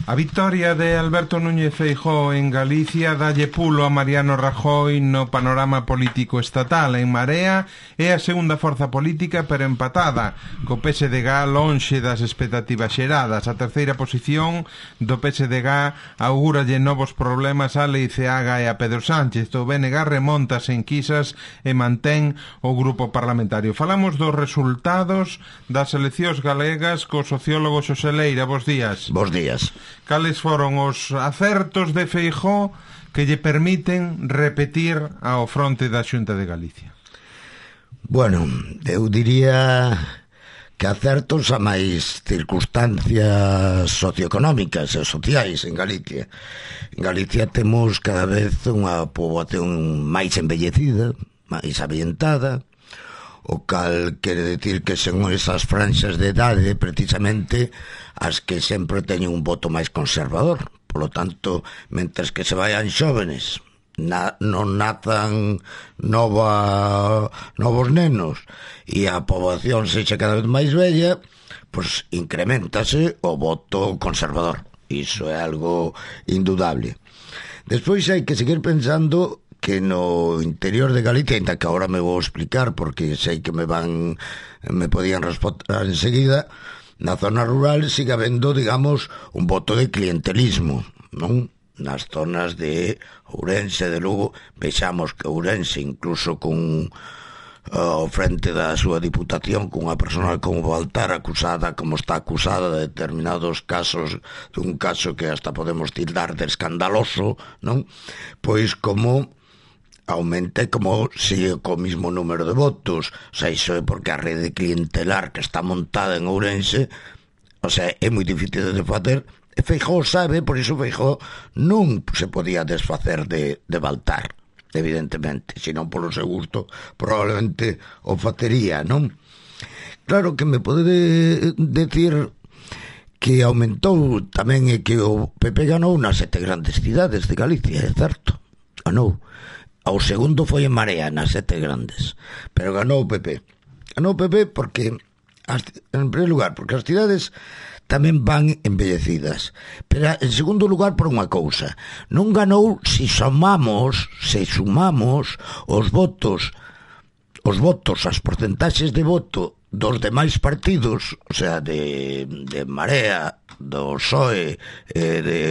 A victoria de Alberto Núñez Feijóo en Galicia dalle pulo a Mariano Rajoy no panorama político estatal. En Marea é a segunda forza política, pero empatada, co PSDG lonxe das expectativas xeradas. A terceira posición do PSDG augúralle novos problemas a Leiceaga e a Pedro Sánchez. O BNG remonta sen quisas e mantén o grupo parlamentario. Falamos dos resultados das eleccións galegas co sociólogo Xosé Leira. Bos días. Bos días. Cales foron os acertos de Feijóo que lle permiten repetir ao fronte da Xunta de Galicia? Bueno, eu diría que acertos a máis circunstancias socioeconómicas e sociais en Galicia. En Galicia temos cada vez unha poboación máis envellecida, máis avientada, o cal quere decir que son esas franxas de idade precisamente as que sempre teñen un voto máis conservador. Por lo tanto, mentres que se vayan xóvenes, non nazan novos nenos e a poboación sexa cada vez máis bella, pois incrementase o voto conservador. Iso é algo indudable. Despois hai que seguir pensando que no interior de Galicia, ainda que agora me vou explicar porque sei que me podían responder enseguida, na zona rural sigue habendo, digamos, un voto de clientelismo, non? Nas zonas de Ourense, de Lugo, vexamos que Ourense, incluso con ao frente da súa diputación, con unha persona como Baltar acusada, como está acusada de determinados casos, dun caso que hasta podemos tildar de escandaloso, non? Pois como aumente, como sigue co mismo número de votos. O sea, iso é porque a rede clientelar que está montada en Ourense, o sea, é moi difícil de facer. E Feijóo sabe, por iso Feijóo non se podía desfacer de Baltar, evidentemente, senón polo seu gusto probablemente o facería, non? Claro que me pode decir que aumentou tamén e que o PP ganou nas 7 grandes cidades de Galicia, é certo, ganou. O segundo foi en Marea, nas 7 grandes. Pero ganou o PP. Ganou o PP porque, en primeiro lugar, porque as cidades tamén van embellecidas. Pero, en segundo lugar, por unha cousa. Non ganou se sumamos os votos, as porcentaxes de voto dos demais partidos, o sea, de Marea, do PSOE,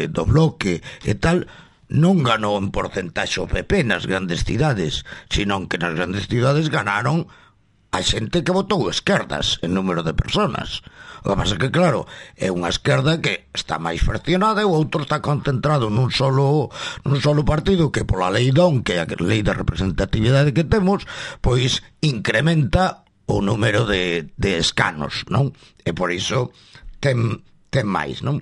do Bloque e tal. Non ganou en porcentaxe o PP nas grandes cidades, senón que nas grandes cidades ganaron a xente que votou esquerdas en número de personas. O que pasa que, claro, é unha esquerda que está máis fraccionada e o outro está concentrado nun solo partido que pola lei DON, que é a lei de representatividade que temos, pois incrementa o número de escanos, non? E por iso ten máis, non?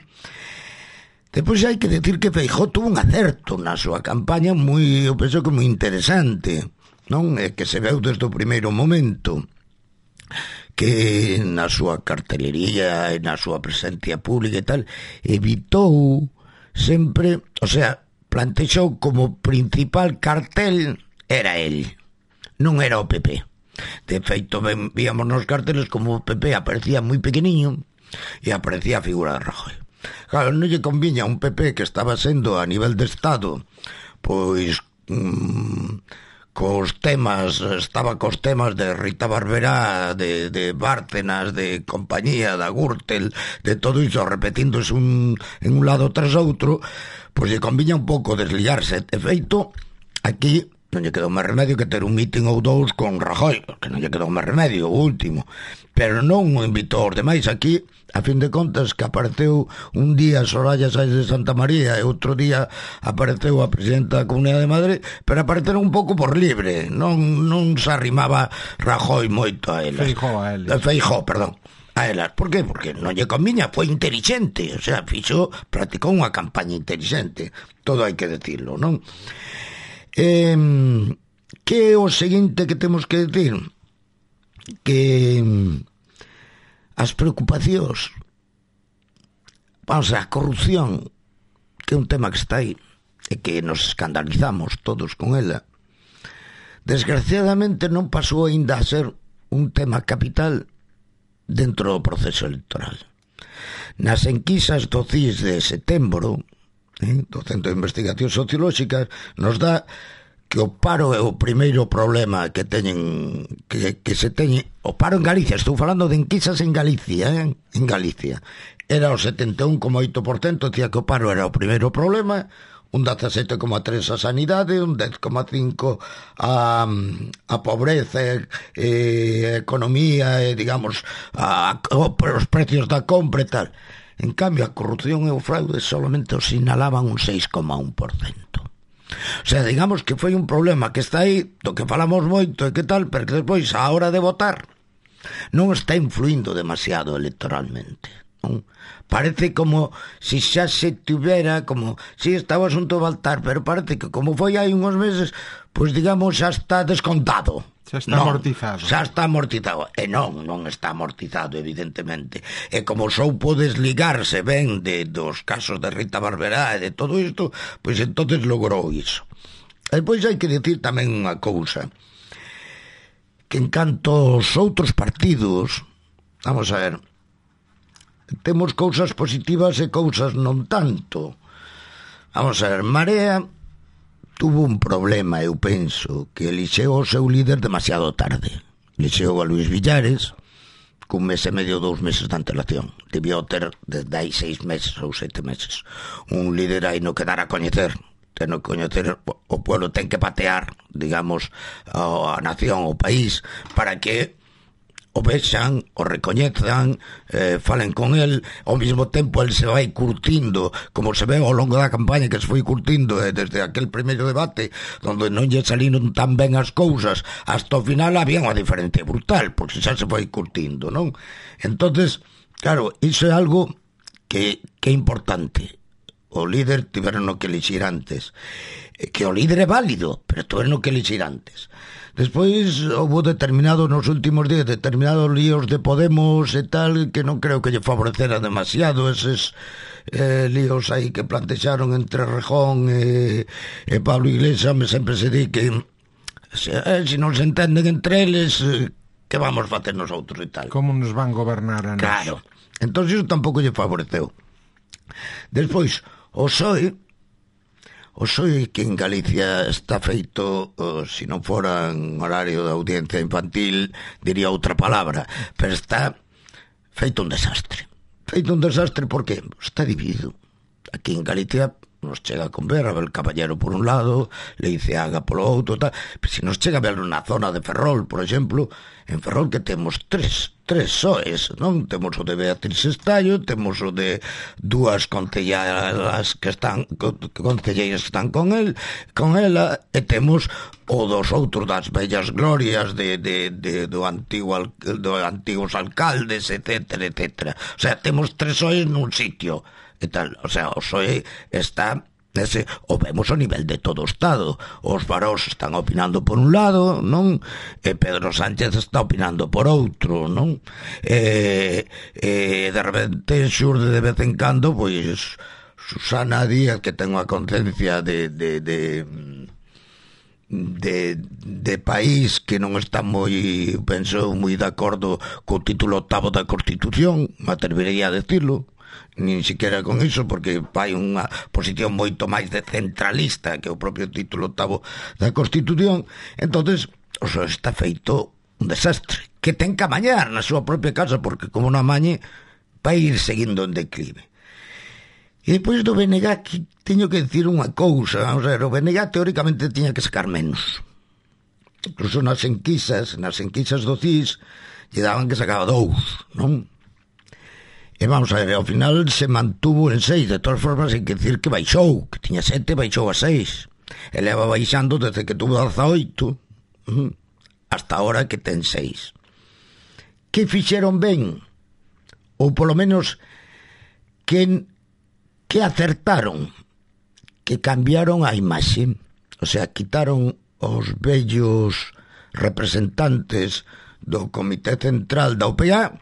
Depois hai que decir que Feijóo tuvo un acerto na súa campaña eu penso que moi interesante, non? É que se veu desde o primeiro momento que na súa cartelería e na súa presencia pública e tal, evitou sempre, o sea, plantexou como principal cartel era el, non era o PP. De feito, víamos nos carteles como o PP aparecía moi pequeniño e aparecía a figura de Rajoy. Claro, non lle conviña un PP que estaba sendo a nivel de Estado, pois estaba cos temas de Rita Barberá, de Bárcenas, de compañía, da Gürtel, de todo iso repetíndose en un lado tras outro, pois lle conviña un pouco desliarse. De feito, aquí non lle quedou máis remedio que ter un meeting ou dous con Rajoy, que non lle quedou máis remedio, o último, pero non o invitou aos demais. Aquí, a fin de contas, que apareceu un día Soraya Sáenz de Santa María e outro día apareceu a presidenta da Comunidade de Madrid, pero apareceron un pouco por libre, non se arrimaba Rajoy moito a elas. Feijóo, perdón, a elas. Por qué? Porque non lle conviña, foi inteligente, o sea, practicou unha campaña inteligente, todo hai que decirlo, non? Que é o seguinte que temos que decir? Que as preocupacións, a corrupción, que é un tema que está aí e que nos escandalizamos todos con ela, desgraciadamente non pasou aínda a ser un tema capital dentro do proceso electoral. nas enquisas do CIS de setembro, do Centro de Investigacións Sociolóxicas, nos dá que o paro é o primeiro problema que teñen, que se teñe. O paro en Galicia, estou falando de enquisas en Galicia, en Galicia, era o 71,8%, dicía que o paro era o primeiro problema, un 17,3% a sanidade, un 10,5% a pobreza, economía, digamos, os precios da compra e tal. En cambio, a corrupción e o fraude solamente os sinalaban un 6,1%. O sea, digamos que foi un problema que está aí, do que falamos moito e que tal, pero que despois, a hora de votar, non está influindo demasiado electoralmente, non? Parece como se xa se tivera, como si estaba o asunto de votar, pero parece que como foi hai uns meses, pois digamos xa está descontado. Xa está amortizado. Xa está amortizado. E non está amortizado, evidentemente. E como só pode desligarse ben dos casos de Rita Barberá e de todo isto, pois entonces logrou iso. E depois hai que dicir tamén unha cousa, que en canto aos outros partidos, vamos a ver, temos cousas positivas e cousas non tanto. Vamos a ver, Marea tuvo un problema, eu penso, que elixeu o seu líder demasiado tarde. Elixeu a Luís Villares cun mes e medio, 2 meses de antelación. Debió ter desde aí 6 meses ou 7 meses. Un líder aí no que dar a coñecer. Ten que coñecer, o pueblo ten que patear, digamos, a nación, o país, para que o vexan, o recoñezan, falen con el. Ao mesmo tempo el se vai curtindo, como se ve ao longo da campaña, que se foi curtindo desde aquel primeiro debate onde non lle saliron tan ben as cousas, hasta o final había unha diferencia brutal, porque xa se foi curtindo, non? Entonces, claro, iso é algo que é importante. O líder tiveron que elixir antes, que o líder é válido, pero tiveron que elixir antes. Despois houve nos últimos días determinados líos de Podemos e tal, que non creo que lle favorecera demasiado eses líos aí que plantexaron entre Rejón e Pablo Iglesias. Sempre se di que se non se entenden entre eles, que vamos facer nosotros e tal. Como nos van gobernar a nos? Claro, entón iso tampouco lle favoreceu. Despois, o PSOE que en Galicia está feito, se non fora en horario de audiencia infantil, diría outra palabra, pero está feito un desastre. Feito un desastre porque está dividido. Aquí en Galicia nos chega con ver Abel Caballero por un lado, Leiceaga polo outro, tal. Pero se nos chega a ver na zona de Ferrol, por exemplo, en Ferrol que temos tres soes, non? Temos o de Beatriz Estallo, temos o de dúas concelleiras que están con ela, e temos o dos outros das bellas glorias do antigos alcaldes, etcétera, etcétera. O sea, temos tres soes nun sitio e tal. O sea, o PSOE está nese, o vemos ao nivel de todo o Estado. Os varós están opinando por un lado, non? E Pedro Sánchez está opinando por outro, non? De repente xurde de vez en cando, pois Susana Díaz, que ten unha conciencia de país que non está moi, penso, moi de acordo co título 8º da Constitución, me atrevería a decirlo, nin siquiera con iso, porque vai unha posición moito máis de centralista que o propio título 8º da Constitución. Entonces, o sea, está feito un desastre que ten que amañar na súa propia casa, porque como non amañe vai ir seguindo en declive. E depois do BNG que teño que decir unha cousa, vamos a ver, o BNG teóricamente tiña que sacar menos. Incluso nas enquisas do CIS lle daban que sacaba 2, non? E vamos a ver, ao final se mantuvo en 6, de todas formas hai que decir que baixou, que tiña 7, baixou a 6. E leva baixando desde que tuvo 18, hasta ahora que ten 6. Que fixeron ben? Ou polo menos que acertaron? Que cambiaron a imaxe. O sea, quitaron os vellos representantes do Comité Central da OPA,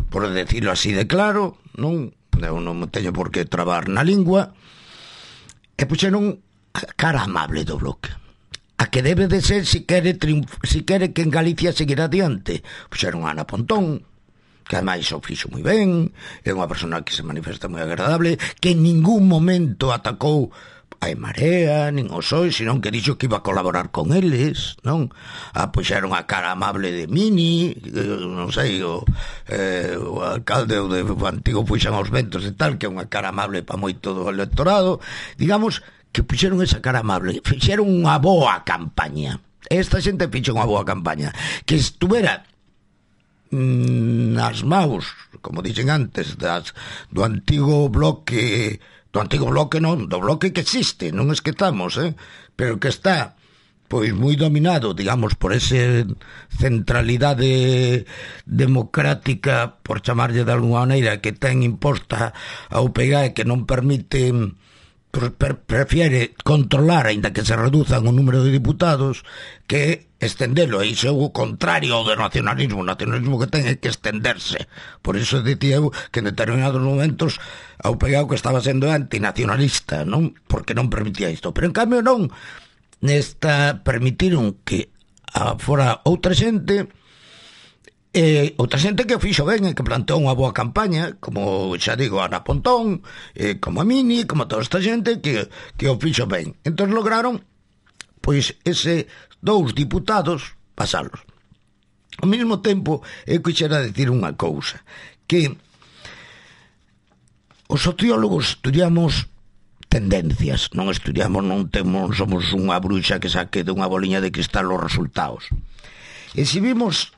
por decirlo así de claro, non? Eu non me teño por que trabar na lingua, e puxeron a cara amable do Bloque, a que debe de ser se quere que en Galicia seguir adiante. Puxeron a Ana Pontón, que ademais o fixo moi ben, é unha persona que se manifesta moi agradable, que en ningún momento atacou a Marea, nin o PSOE, senón que dixo que iba a colaborar con eles, non? Puxeron a cara amable de Mini, non sei, o alcalde o antigo Puxan aos Ventos e tal, que é unha cara amable para moito do electorado, digamos que puxeron esa cara amable, fixeron unha boa campaña. Esta xente fixo unha boa campaña, que estuvera nas maus, como dixen antes, do antigo bloque, non, do bloque que existe, non es que estamos, pero que está pois moi dominado, digamos, por ese centralidade democrática, por chamarlle de alguna maneira, que ten imposta a UPyD, que non permite, prefiere controlar, aínda que se reduzan o número de diputados, que estendelo. E iso é o contrario ao do nacionalismo. O nacionalismo que ten é que estenderse. Por iso dicía eu que en determinados momentos a UPyD que estaba sendo antinacionalista, non? Porque non permitía isto. Pero en cambio non. Nesta permitiron que fora outra xente que fixo ben e que planteou unha boa campaña, como xa digo, Ana Pontón, como a Mini, como toda esta xente que o fixo ben. Entón lograron pois ese 2 diputados pasalos. Ao mesmo tempo eu quixera decir unha cousa, que os sociólogos estudiamos tendencias, non somos unha bruxa que saque de unha boliña de cristal os resultados. E se vimos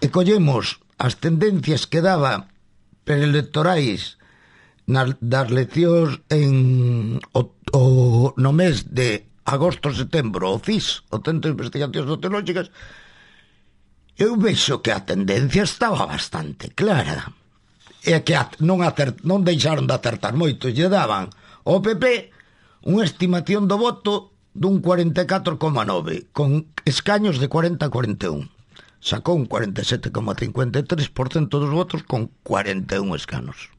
e collemos as tendencias que daba preelectorais das eleccións no mes de agosto-setembro, o CIS, o Centro de Investigacións Sociológicas, eu vexo que a tendencia estaba bastante clara. E que non deixaron de acertar moito. Lle daban ao PP unha estimación do voto dun 44,9, con escaños de 40-41. Sacou un 47,53% dos votos con 41 escanos.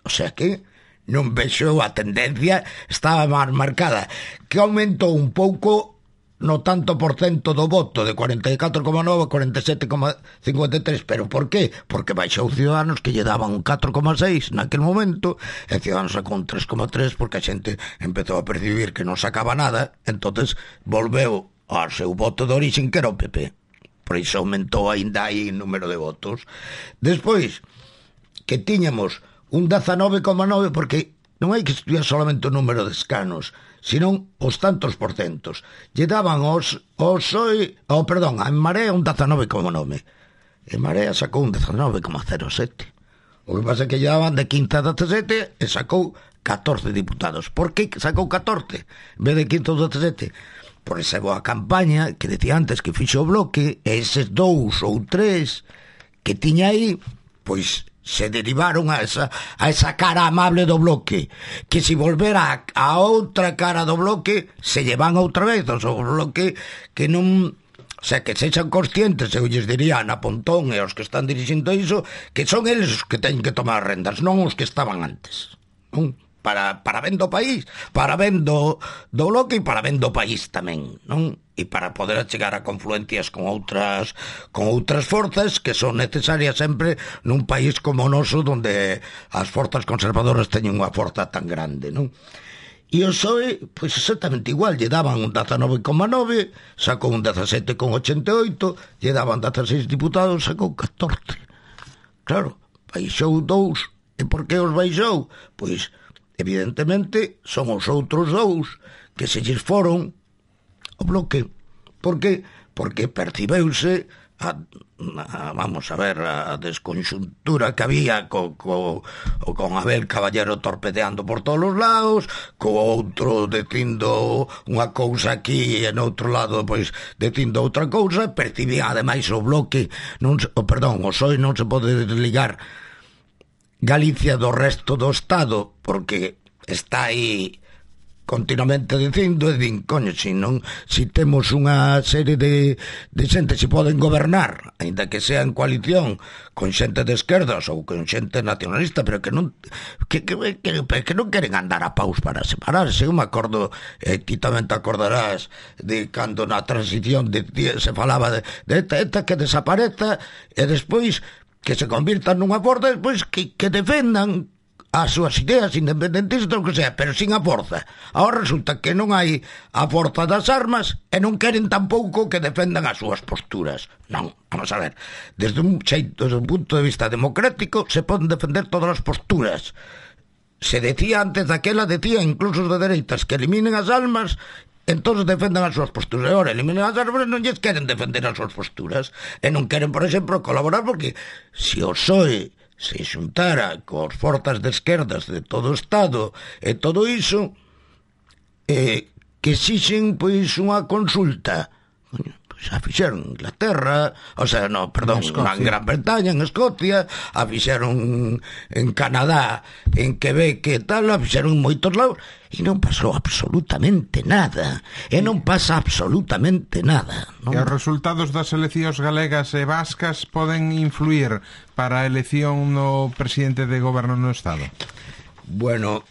O sea que non vexo a tendencia, estaba máis marcada, que aumentou un pouco no tanto por cento do voto, de 44,9 a 47,53. Pero por qué? Porque baixou Ciudadanos, que lle daban un 4,6 naquel momento, e Ciudadanos sacou un 3,3 porque a xente empezou a percibir que non sacaba nada, entonces volveu ao seu voto de orixen, que era o PP. Por iso aumentou ainda aí o número de votos. Despois, que tiñamos un 19,9, porque non hai que estudiar solamente o número de escanos, senón os tantos porcentos. Lle daban a En Marea un 19,9. En Marea sacou un 19,07. O que pasa é que lle daban de 15 a 17 e sacou 14 diputados. Por que sacou 14 en vez de 15 ou 17? Por esa boa campaña que decía antes que fixo o Bloque, e eses 2 ou 3 que tiña aí, pois se derivaron a esa cara amable do Bloque, que se volvera a outra cara do Bloque se llevan outra vez o Bloque, que non, o sea, que sexan conscientes, eu lles diría a Ana Pontón e aos que están dirixindo iso, que son eles os que teñen que tomar rendas, non os que estaban antes, non? Para ben do país, para ben do Bloque e para ben do país tamén, non? E para poder chegar a confluencias con outras forzas que son necesarias sempre nun país como o noso, donde as forzas conservadoras teñen unha forza tan grande, non? E o PSOE, pois exactamente igual, lle daban un 19,9, sacou un 17,88, lle daban 16 diputados, sacou 14. Claro, baixou 2. E por que os baixou? Pois evidentemente son os outros 2 que se lles foron o Bloque. Por que? Porque percibeuse vamos a ver, a desconxuntura que había con Abel Caballero torpedeando por todos os lados, co outro dicindo unha cousa aquí e no outro lado pois dicindo outra cousa. Percibía ademais o Bloque o PSOE non se pode desligar Galicia do resto do Estado, porque está aí continuamente dicindo, e din, coño, si temos unha serie de xente, se poden gobernar, ainda que sea en coalición con xente de esquerdas ou con xente nacionalista, pero que non queren andar a paus para separarse. Eu me acordo, ti tamén te acordarás de cando na transición se falaba de ETA que desapareza, e despois que se convirtan nunha forza, despois que defendan as súas ideas independentistas, o que sea, pero sin a forza. Ahora resulta que non hai a forza das armas e non queren tampouco que defendan as súas posturas. Non, vamos a ver, desde un punto de vista democrático se poden defender todas as posturas. Se decía antes daquela, decía incluso os de dereitas, que eliminen as armas, entón defendan as súas posturas. E agora eliminen as armas, non lles queren defender as súas posturas e non queren, por exemplo, colaborar, porque se o PSOE se xuntara cos forzas de esquerdas de todo o Estado e todo iso, que exixen pois unha consulta, pois a fixeron en Inglaterra, o sea, no, perdón, en Gran Bretaña, en Escocia, a fixeron en Canadá, en Quebec e tal, a fixeron en moitos lados e non pasou absolutamente nada, e non pasa absolutamente nada, non? E os resultados das eleccións galegas e vascas poden influir para a elección no presidente de goberno no Estado? Bueno,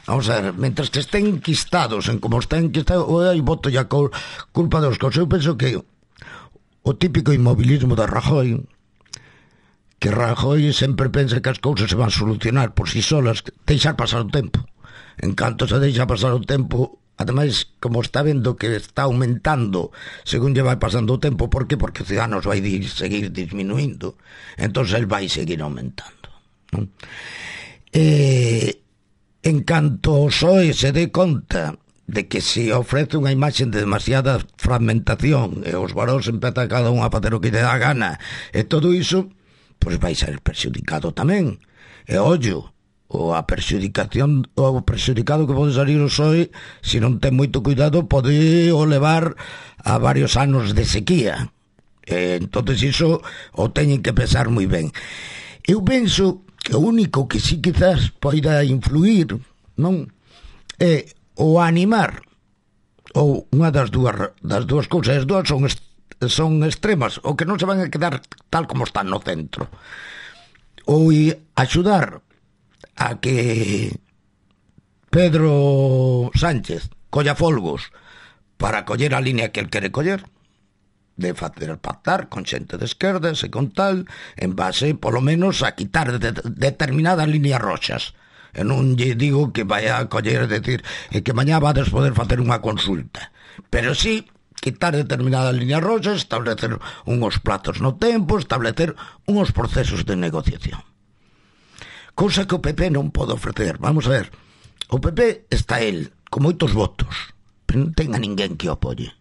vamos a ver, mentre que estén enquistados en como estén enquistados, aí voto ya culpa dos cosas. Eu penso que o típico inmobilismo de Rajoy, que Rajoy sempre pensa que as cousas se van solucionar por si solas, deixar pasar o tempo. En canto se deixa pasar o tempo, ademais, como está vendo que está aumentando según lle vai pasando o tempo, por que? Porque Ciudadanos vai seguir disminuindo, entón el vai seguir aumentando, non? En canto o PSOE se dé conta de que se ofrece unha imaxe de demasiada fragmentación e os varóns empezan cada un a facer o que lle dá gana e todo iso, pois vai ser perxudicado tamén. E ollo, o perxudicado que pode salir o PSOE, se non ten moito cuidado, pode o levar a varios anos de sequía. Entonces iso o teñen que pensar moi ben. Eu penso que o único que sí quizás poida influir, non, é o animar, ou unha das dúas cousas. As dúas son extremas, o que non se van a quedar tal como están no centro, ou axudar a que Pedro Sánchez colla folgos para coller a línea que el quere coller, de facer pactar con xente de esquerdas e con tal, en base, polo menos, a quitar determinadas líneas roxas. E non lle digo que vai a coller, decir, que mañá vades poder facer unha consulta, pero sí quitar determinadas líneas roxas, establecer unhos plazos no tempo, establecer unhos procesos de negociación. Cousa que o PP non pode ofrecer. Vamos a ver, o PP está el, con moitos votos, pero non ten a ninguén que o apoie.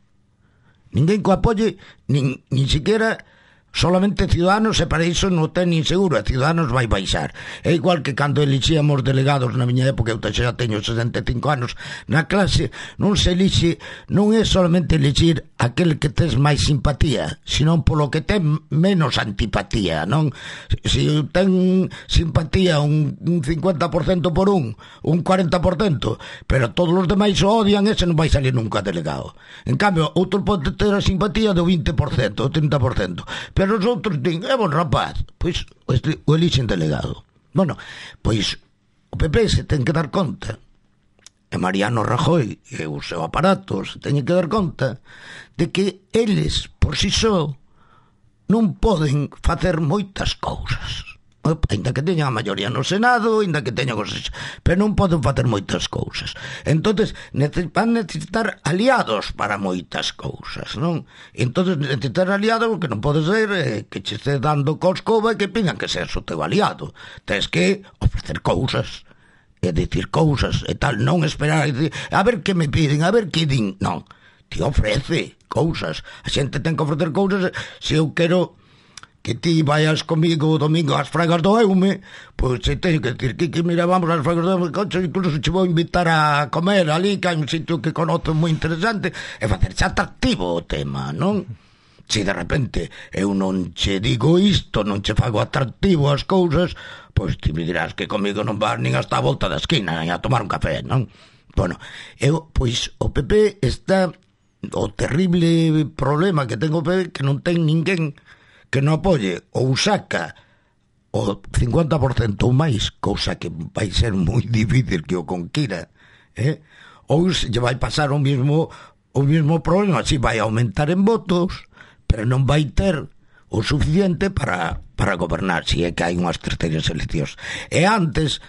Ninguén que o apoie, nin siquiera solamente Ciudadanos, e para iso non ten nin seguro, e Ciudadanos vai baixar. É igual que cando elixíamos delegados na miña época, eu xa teño 65 anos, na clase non se elixe, non é solamente elixir aquel que tes máis simpatía, senón polo que ten menos antipatía, non? Se ten simpatía un 50% por un 40%, pero todos os demais o odian, ese non vai salir nunca delegado. En cambio, outro pode ter a simpatía do 20%, o 30%, pero os outros din, é bon rapaz, pois o elixen delegado. Bueno, pois o PP se ten que dar conta, e Mariano Rajoy e o seu aparato se teñen que dar conta de que eles, por si só, non poden facer moitas cousas. Ainda que teñan a maioría no Senado, ainda que teñan cosas, pero non poden facer moitas cousas. Entonces van necesitar aliados para moitas cousas, non? Entonces necesitar aliados, o que non pode ser que che este dando coscova e que pidan que seas o teu aliado. Tens que ofrecer cousas e dicir cousas e tal, non esperar a ver que me piden, a ver que din. Non, te ofrece cousas. A xente ten que ofrecer cousas. Se eu quero que ti vayas comigo o domingo ás Fragas do Eume, pois se teño que decir que mira, vamos ás Fragas do Eume, incluso che vou invitar a comer ali, que hai un sitio que conozo moi interesante, e facerse atractivo o tema, non? Se de repente eu non che digo isto, non che fago atractivo as cousas, pois ti me dirás que comigo non vas nin hasta a volta da esquina, nin a tomar un café, non? Bueno, pois o PP está, o terrible problema que ten o PP, que non ten ninguén que non apoie, ou saca o 50% ou máis, cousa que vai ser moi difícil que o conquira, ou se lle vai pasar o mismo problema, si vai aumentar en votos, pero non vai ter o suficiente para gobernar, se é que hai unhas terceiras eleccións. E antes,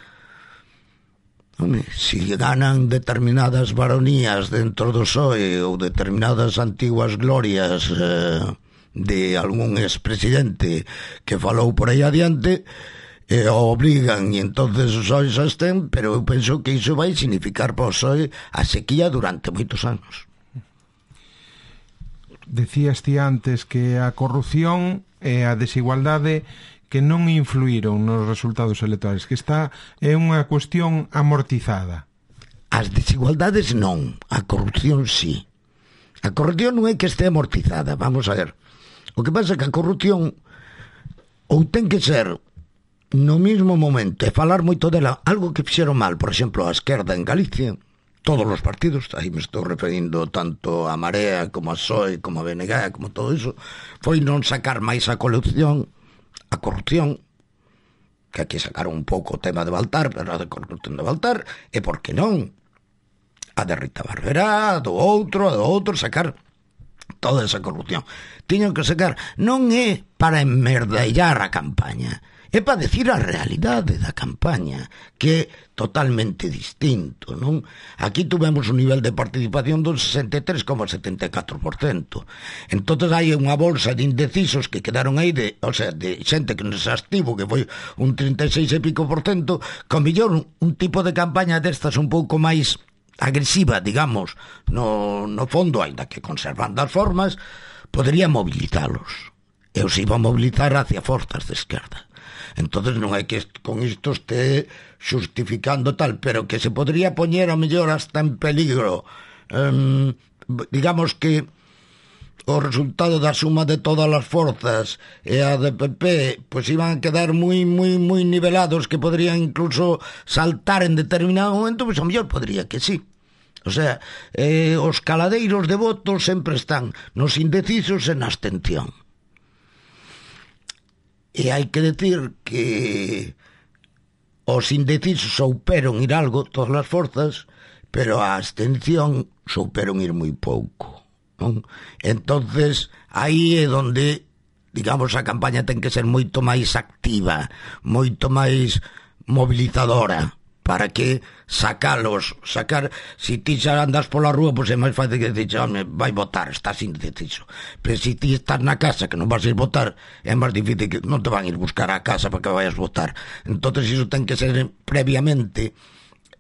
se ganan determinadas baronías dentro do PSOE ou determinadas antiguas glorias de algún expresidente que falou por aí adiante, obligan, e entonces os PSOE xa estén, pero eu penso que iso vai significar para o PSOE a sequía durante moitos anos. Decías ti antes que a corrupción e a desigualdade que non influíron nos resultados electorales, que esta é unha cuestión amortizada. As desigualdades non, a corrupción sí. A corrupción non é que este amortizada, vamos a ver. O que pasa é que a corrupción ou ten que ser no mesmo momento e falar moito dela, algo que fixeron mal, por exemplo, a esquerda en Galicia, todos os partidos, aí me estou referindo tanto a Marea como a PSOE, como a BNG, como todo iso, foi non sacar máis a corrupción, que aquí sacaron un pouco o tema de Baltar, pero a de corrupción de Baltar, e por que non a de Rita Barberá, do outro, sacar toda esa corrupción. Tiñan que sacar, non é para enmerdallar a campaña, é para decir a realidade da campaña, que é totalmente distinto, non? Aquí tuvemos un nivel de participación do 63,74%. Entonces hai unha bolsa de indecisos que quedaron aí, de xente que non se abstivo, que foi un 36 e pico por cento, con millón un tipo de campaña destas un pouco máis agresiva, digamos, no fondo, aínda que conservando as formas, podría mobilizalos. E os iba a mobilizar hacia forzas de esquerda. Entonces non é que con isto este justificando tal, pero que se podría poñer a mellor hasta en peligro. Digamos que o resultado da suma de todas as forzas e a de PP pois iban a quedar moi nivelados, que podrían incluso saltar en determinado momento, pois a mellor podría que sí. O sea, os caladeiros de votos sempre están nos indecisos e na abstención. E hai que decir que os indecisos souperon ir algo, todas as forzas, pero a abstención souperon ir moi pouco, non? Entonces aí é onde, digamos, a campaña ten que ser moito máis activa, moito máis mobilizadora, para que sacar, si ti xa andas pola rúa, pois é máis fácil que dicir, vai votar, estás indeciso. Pero si ti estás na casa que non vas ir votar, é máis difícil, que non te van ir buscar a casa para que vayas votar. Entonces iso ten que ser previamente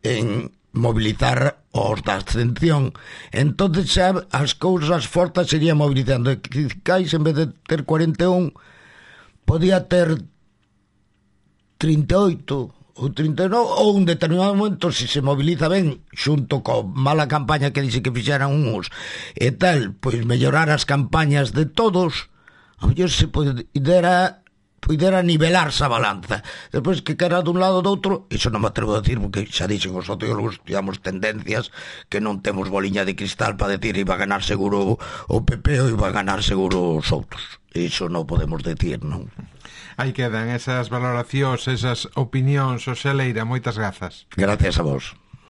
en mobilizar os da abstención. Entonces xa as cousas fortes serían mobilizando. Cais, en vez de ter 41, podía ter 38 ou 39, ou un determinado momento, se moviliza ben, xunto co mala campaña que dixe que fixeran uns e tal, pois mellorar as campañas de todos, a mellor se pudera nivelarse a balanza. Despois que quera dun lado ou do outro, iso non me atrevo a decir, porque xa dixen os sociólogos, estudiamos tendencias, que non temos boliña de cristal para decir iba a ganar seguro o PP ou iba a ganar seguro os outros. Iso non podemos decir, non? Aí quedan esas valoracións, esas opinións, Xosé Leira, moitas grazas. Gracias a vos.